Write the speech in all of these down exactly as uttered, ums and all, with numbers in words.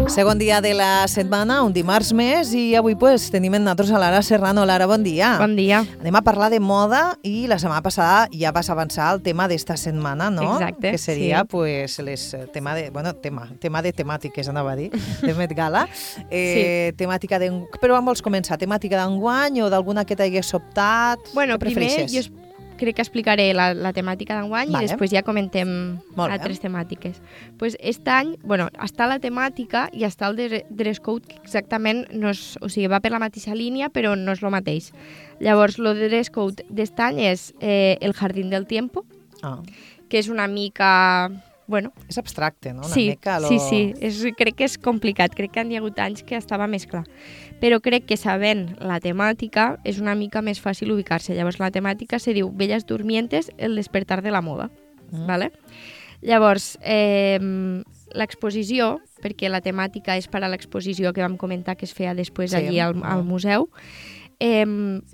Segon dia de la setmana, un dimarts més, i avui pues, tenim amb nosaltres a Lara Serrano. Lara, bon dia. Bon dia. Anem a parlar de moda i la setmana passada ja vas avançar el tema d'esta setmana, no? Exacte, que seria, sí. pues, les, tema de, bueno, tema, tema de temàtiques, anava a dir, de Met Gala. Eh, sí. Temàtica de, però on vols començar? Temàtica d'enguany o d'alguna que t'hagués sobtat? Bueno, Què primer prefereixes? jo crec que explicaré la, la temàtica d'enguany Vale. i després ja comentem Molt bé. altres temàtiques. Pues este any, bueno, està la temàtica i està el de- dress code, que exactament no és, o sigui, va per la mateixa línia, però no és el mateix. Llavors, el dress code d'este any és eh, el Jardín del Tiempo, Ah. que és una mica... Bueno, És abstracte, no? Una sí, mica lo... sí, sí, és, crec que és complicat, crec que han hi ha hagut anys que estava més clar, però crec que sabent la temàtica és una mica més fàcil ubicar-se. Llavors la temàtica se diu Bellas Durmientes, el despertar de la moda, Mm. ¿vale? Llavors, eh, l'exposició, perquè la temàtica és per a l'exposició que vam comentar que es feia després Sí. allí al, al museu, eh,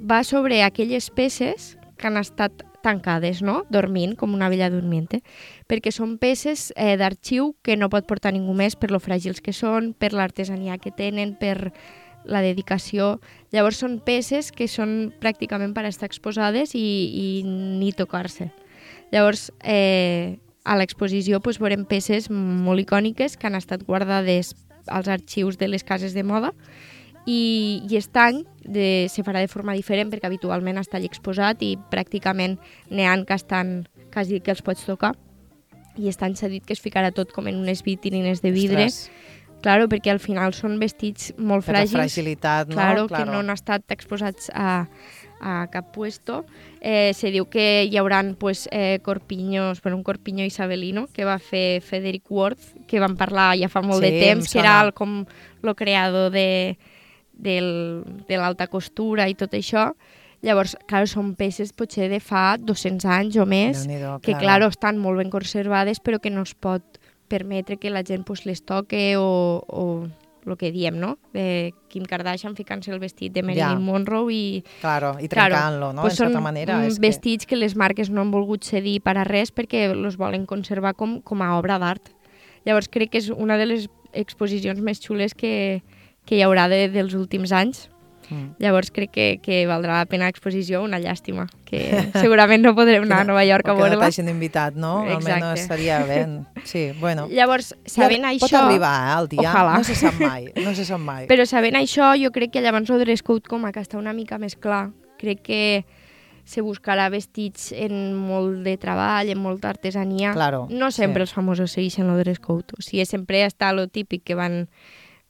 va sobre aquelles peces que han estat tancades, no? Dormint, com una bella dormiente, perquè són peces eh, d'arxiu que no pot portar ningú més per lo fràgils que són, per l'artesania que tenen, per la dedicació. Llavors són peces que són pràcticament per estar exposades i, i ni tocar-se. Llavors, eh, a l'exposició pues, veurem peces molt icòniques que han estat guardades als arxius de les cases de moda i, i aquest any de, se farà de forma diferent perquè habitualment està allà exposat i pràcticament n'hi ha que estan quasi que els pots tocar i aquest any s'ha dit que es ficarà tot com en unes vitrines de vidre. Ostres, Claro, perquè al final són vestits molt per la fràgils, fragilitat, no? claro, que no han estat exposats a, a cap puesto. Eh, se diu que hi haurà pues, eh, corpinyos, bueno, un corpiño isabelino que va fer Frederick Worth, que vam parlar ja fa molt Sí, de em temps, que sona. era el, com el creador de, del, de l'alta costura i tot això. Llavors, clar, són peces potser de fa dos-cents anys o més, Déu-n'hi-do, que clar, estan molt ben conservades però que no es pot permetre que la gent pues, les toque o, o el que diem, no? De Kim Kardashian ficant-se el vestit de Marilyn Ja. Monroe i... Claro, i Claro, trencant-lo, no? pues en certa són manera. mm, És vestits que... que les marques no han volgut cedir per a res perquè els volen conservar com, com a obra d'art. Llavors crec que és una de les exposicions més xules que, que hi haurà de, dels últims anys. Mm. Llavors crec que, que valdrà la pena l'exposició, una llàstima, que segurament no podrem anar a Nova York a O que no veure-la. t'hagin invitat, no? Exacte. Almenys estaria bé. Sí, bueno. Llavors, sabent Ja, això... Pot arribar, eh, el dia. Ojalà. No se sap mai, no se sap mai. Però sabent això, jo crec que llavors el dress code com que està una mica més clar. Crec que se buscarà vestits en molt de treball, en molta artesania. Claro, no sempre sí. els famosos segueixen el dress code. O sigui, sempre està lo típic que van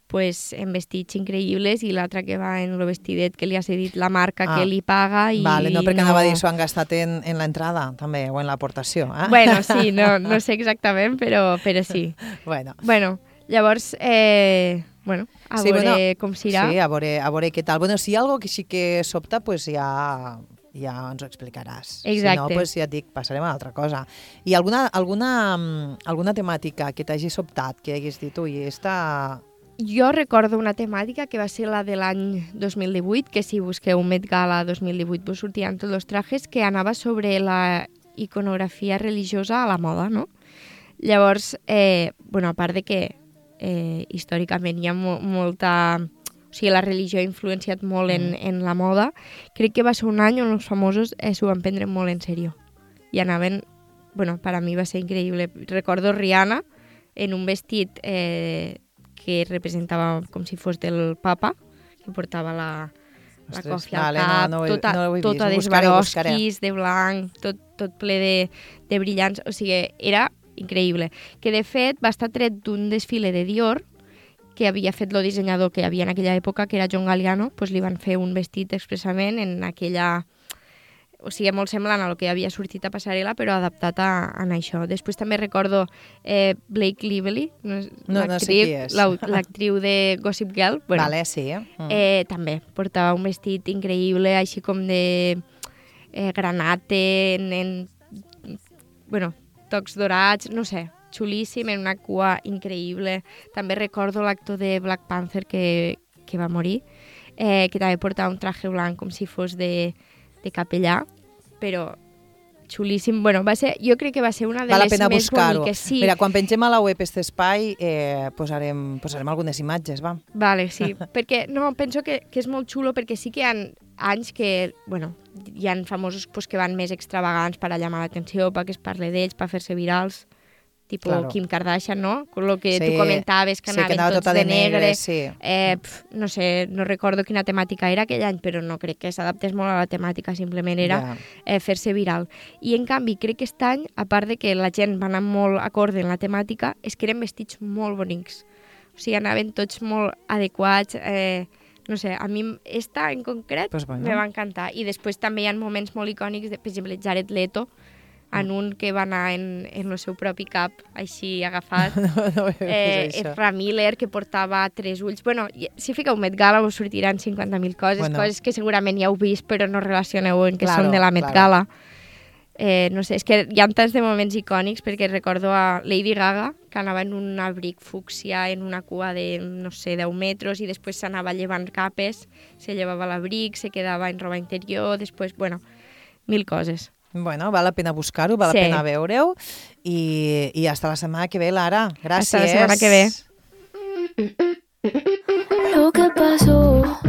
pues, en vestits increïbles i l'altre que va en el vestidet que li ha cedit la marca Ah, que li paga. I Vale, no, perquè no... anava a dir s'ho han gastat en, en l'entrada, també, o en l'aportació. Eh? Bueno, sí, no, no sé exactament, però, però sí. bueno. Bueno, llavors, eh, bueno, a Sí, veure bueno, com s'irà. Sí, a veure, a veure què tal. Bueno, si hi ha alguna que sí que sobta, pues ja, ja ens ho explicaràs. Exacte. Si no, pues ja et dic, passarem a altra cosa. I alguna, alguna, mm, alguna temàtica que t'hagi sobtat, que hagués dit, ui, esta... Jo recordo una temàtica que va ser la de l'any dos mil divuit, que si busqueu Met Gala dos mil divuit vos sortiran tots els trajes, que anava sobre la iconografia religiosa a la moda, no? Llavors, eh, bueno, a part de que eh, històricament hi ha mo molta... O sigui, la religió ha influenciat molt en, Mm. en la moda, crec que va ser un any on els famosos eh, s'ho van prendre molt en sèrio. I anaven... Bueno, per a mi va ser increïble. Recordo Rihanna en un vestit... Eh, que representava com si fos del papa, que portava la, la Ostres, còfia al vale, cap, no, no ho he- tota, no ho he vist, tota ho buscaré, ho buscaré. d'esbarosquis, de blanc, tot, tot ple de, de brillants, o sigui, era increïble. Que de fet va estar tret d'un desfile de Dior que havia fet el dissenyador que hi havia en aquella època, que era John Galliano, doncs li van fer un vestit expressament en aquella... O sigui, molt semblant a lo que havia sortit a passarel·la, però adaptat a, a això. Després també recordo eh, Blake Lively, no, No- no sé qui és. l'actriu de Gossip Girl. Bueno, Vale, sí. Mm. eh, també portava un vestit increïble, així com de eh, granate, en, en bueno, tocs dorats, no sé, xulíssim, en una cua increïble. També recordo l'actor de Black Panther que, que va morir, eh, que també portava un traje blanc com si fos de, de capellà, però xulíssim. Bueno, va ser, jo crec que va ser una de Val la les pena més buscar-ho. boniques. Sí. Mira, quan pengem a la web aquest espai, eh, posarem, posarem algunes imatges, va. Vale, sí. Perquè, no, penso que, que és molt xulo perquè sí que hi ha anys que, bueno, hi ha famosos pues, que van més extravagants per a llamar l'atenció, perquè es parle d'ells, per fer-se virals, tipus Claro. Kim Kardashian, no? Con lo que Sí, tu comentaves, que sí, anaven que anava tots tota de de negre, negre. sí. Eh, pf, no sé, no recordo quina temàtica era aquell any, però no crec que s'adaptés molt a la temàtica, simplement era Ja. eh, fer-se viral. I en canvi, crec que aquest any, a part de que la gent va anar molt acorde en la temàtica, és que eren vestits molt bonics. O sigui, anaven tots molt adequats, eh, no sé, a mi esta en concret Pues bueno. me va encantar. I després també hi ha moments molt icònics, de, per exemple, Jared Leto, en un que va anar en, en el seu propi cap, així agafat. No, no he eh, vist això. Ezra Miller, que portava tres ulls. Bueno, i- si fiqueu Met Gala us sortiran cinquanta mil coses, Bueno. coses que segurament ja heu vist, però no relacioneu en que Claro, són de la Met claro. Gala. Eh, no sé, és que hi ha tants de moments icònics, perquè recordo a Lady Gaga, que anava en un abric fúcsia, en una cua de, no sé, deu metres, i després s'anava llevant capes, se llevava l'abric, se quedava en roba interior, després, bueno, mil coses. Bueno, val la pena buscar-ho, val Sí. la pena veure-ho. I, I hasta la setmana que ve, Lara. Gràcies. Hasta la setmana que ve. Lo que pasó